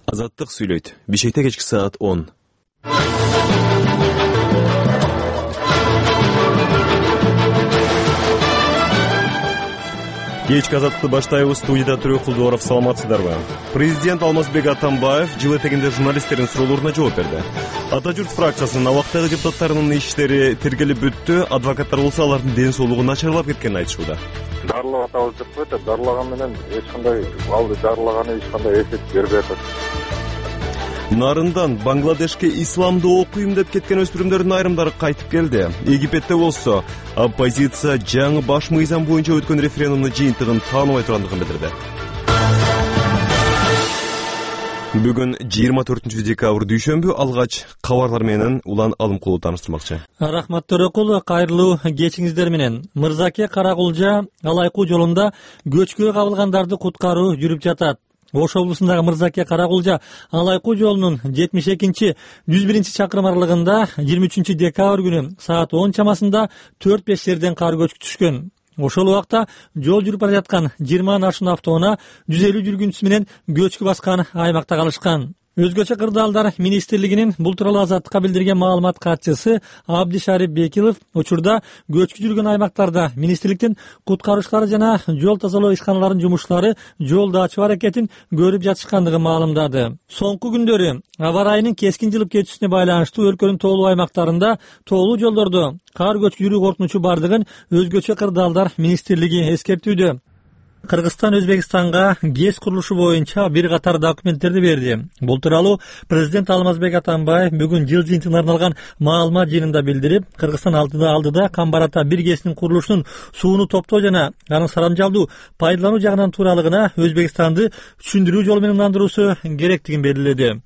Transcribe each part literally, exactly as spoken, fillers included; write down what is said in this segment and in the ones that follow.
Азаттык сүйлөйт. Бишкекте кечки саат он. Кечки азаттыкты баштайбыз. Студияда Түрөк Кулдуаров, саламатсыздарбы? Президент Алмазбек Атамбаев жыл этегинде журналисттердин суроолоруна жооп берди. Ата журт фракциясынын абактагы депутаттарынын иштери тергелип бүттү. Адвокаттар болсо алардын ден соолугу начарлап кеткенин айтышууда. Дарылап атабыз деп коет, дарылаган менен эч кандай алды дарылаганы эч кандай эффект бербей атат. Нарындан Бангладешке исламды окуйм деп кеткен өспүрүмдөрдүн айрымдары кайтып келди. Египетте болсо оппозиция жаңы баш мыйзам боюнча өткөн референдумдун жыйынтыгын тааныбай тургандыгын билдирди. Бүгүн жыйырма төртүнчү декабрь дүйшөмбү. Алгач кабарлар менен улан алымкулуу тааныштырмакчы. Рахмат Төрөкул, кайрылуу кечиңиздер менен. Мырзаке Каракулжа Алайкуу жолунда көчкүгө кабылгандарды куткаруу жүрүп жатат. Ош облусундагы Мырзаке Каракулжа Алайкуу жолунун жетимиш экинчи жүз биринчи чакырым аралыгында жыйырма үчүнчү декабрь күнү саат он чамасында төрт беш жерден кар көчкү түшкөн. Ошол убакта жол жүрүп бара жаткан жыйырмадан ашуун автоунаа жүз элүү жүргүнчүсү менен көчкү баскан аймакта калышкан. Өзгөчө кырдаалдар министрлигинин бул тууралуу Азаттыкка билдирген маалымат катчысы Абдишарип Бекилов учурда көчкү жүргөн аймактарда министрликтин куткаруучулары жана жол тазалоо ишканаларынын жумушчулары жолду ачуу аракетин көрүп жатышкандыгын маалымдады. Соңку күндөрү аба ырайынын кескин жылып кетүүсүнө байланыштуу өлкөнүн тоолуу аймактарында тоолуу жолдордо кар көчкү жүрүү коркунучу бардыгын өзгөчө кырдаалдар министрлиги эскертүүдө. Кыргызстан Өзбекстанга ГЭС курулушу боюнча бир катар документтерди берди. Бул тууралуу президент Алмазбек Атамбаев бүгүн жыл жыйынтыгына арналган маалымат жыйынында билдирип, Кыргызстан алдыда алдыда Камбарата бир ГЭСинин курулушунун сууну топтоо жана анын сарамжалдуу пайдалануу жагынан тууралыгына Өзбекстанды түшүндүрүү жолу менен ындандыруусу керектигин белгиледи.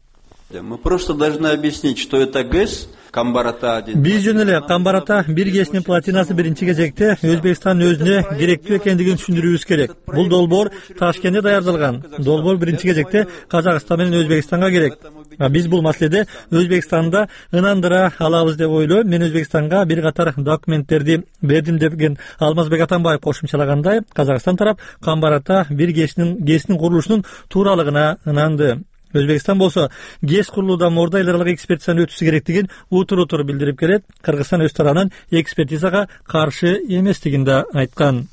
Мы просто должны объяснить, что это ГЭС. Биз жөн эле Камбарата бир ГЭСинин платинасы биринчи кезекте Өзбекстандын өзүнө керектүү экендигин түшүндүрүүбүз керек. Бул долбоор Ташкентте даярдалган. Долбоор биринчи кезекте Казакстан менен Өзбекстанга керек. А биз бул маселеде Өзбекстанда ынандыра алабыз деп ойлойм. Мен Өзбекстанга бир катар документтерди бердим деген Алмазбек Атамбаев кошумчалагандай, Казакстан тарап Камбарата бир ГЭСинин ГЭСинин курулушунун тууралыгына ынанды. Өзбекстан болсо ГЭС курулуудан мурда эл аралык экспертизаны өтүүсү керектигин утур-утур билдирип келет. Кыргызстан өз тарабынан экспертизага каршы эместигин да айткан.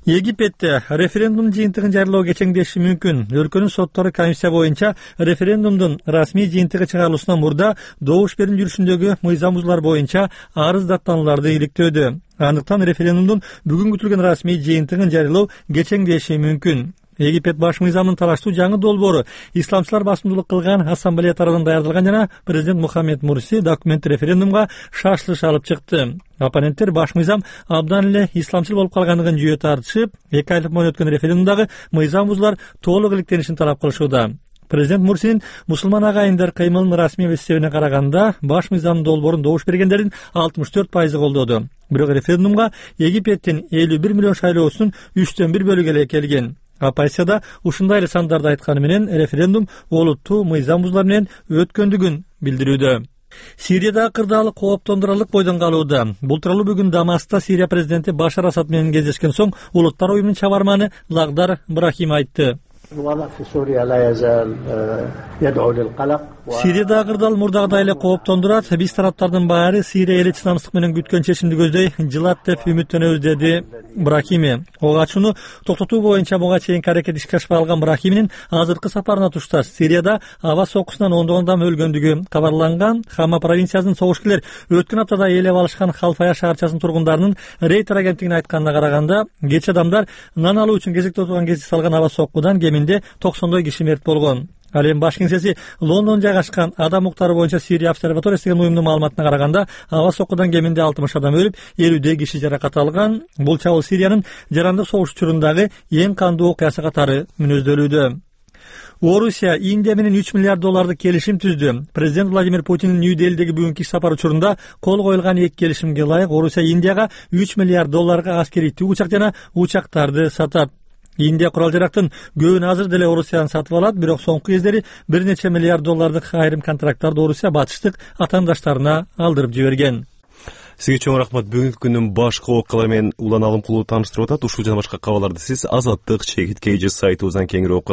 Египетте референдум жыйынтыгын жарыялоо кечеңдеши мүмкүн. Өлкөнүн соттору комиссия боюнча референдумдун расмий жыйынтыгы чыгарылуусунан мурда добуш берүү жүрүшүндөгү мыйзам бузуулар боюнча арыз даттанууларды иликтөөдө. Андыктан референдумдун бүгүн күтүлгөн расмий жыйынтыгын жарыялоо кечеңдеши мүмкүн. Египет баш мыйзамын талаштуу жаңы долбоору исламчылар басымдуулук кылган ассамблея тарабынан даярдалган жана президент Мухаммед Мурси документ референдумга шашылыш алып чыкты. Оппоненттер баш мыйзам абдан эле исламчыл болуп калгандыгын жүйө тартышып, эки айлык мөөнөт өткөн референдумдагы мыйзам бузуулар толук иликтенишин талап кылышууда. Президент Мурсинин мусулман агайындар кыймылынын расмий эсебине караганда баш мыйзамдын долбоорун добуш бергендердин алтымыш төрт пайызы колдоду. Бирок референдумга Египеттин элүү бир миллион шайлоочусунун үчтөн бир бөлүгү эле келген. Оппозицияда ушундай эле сандарды айтканы менен референдум олуттуу мыйзам бузуулар менен өткөндүгүн билдирүүдө. Сириядагы кырдаал кооптондурарлык бойдон калууда. Бул тууралуу бүгүн Дамаскта Сирия президенти Башар Асад менен кездешкен соң Улуттар уюмунун чабарманы Лагдар Брахим айтты. Сириядагы кырдаал мурдагыдай эле кооптондурат. Биз тараптардын баары Сирия эли чыдамсыздык менен күткөн чечимди көздөй жылат деп үмүттөнөбүз, деди Брахими. Ого ачууну токтотуу боюнча буга чейинки аракет ишке ашпай калган Брахиминин азыркы сапарына тушташ Сирияда аба соккусунан ондогон адам өлгөндүгү кабарланган. Хама провинциясынын согушкерлер өткөн аптада ээлеп алышкан Халфая шаарчасынын тургундарынын Рейтер агенттигине айтканына караганда, кечээ адамдар нан алуу үчүн кезекте отурган кезде салган аба соккудан кеминде токсондой киши мерт болгон. Ал эми баш кеңсеси Лондон жайгашкан адам укуктары боюнча Сирия обсерваториясы деген уюмдун маалыматына караганда, аба соккудан кеминде алтымыш адам өлүп, элүүдөй киши жаракат алган. Бул чабуул Сириянын жарандык согуш учурундағы эң кандуу окуясы катары мүнөздөлүүдө. Орусия Индия менен үч миллиард доллардык келишим түздү. Президент Владимир Путиндин Нью-Делидеги бүгүнкү иш сапары учурунда кол коюлган эки келишимге ылайык Орусия Индияга үч миллиард долларга аскерий түгүчак жана учактарды сатат. Индия курал жарактын көбүн азыр деле Орусиядан сатып алат, бирок соңку кездери бир нече миллиард доллардык айрым контракттарды Орусия батыштык атаандаштарына алдырып жиберген. Сизге чоң рахмат. Бүгүнкү күндүн башкы окуялары менен улан алымкулуу тааныштырып атат. Ушул жана башка кабарларды сиз Азаттык чегит кей же сайтыбыздан кеңири окуя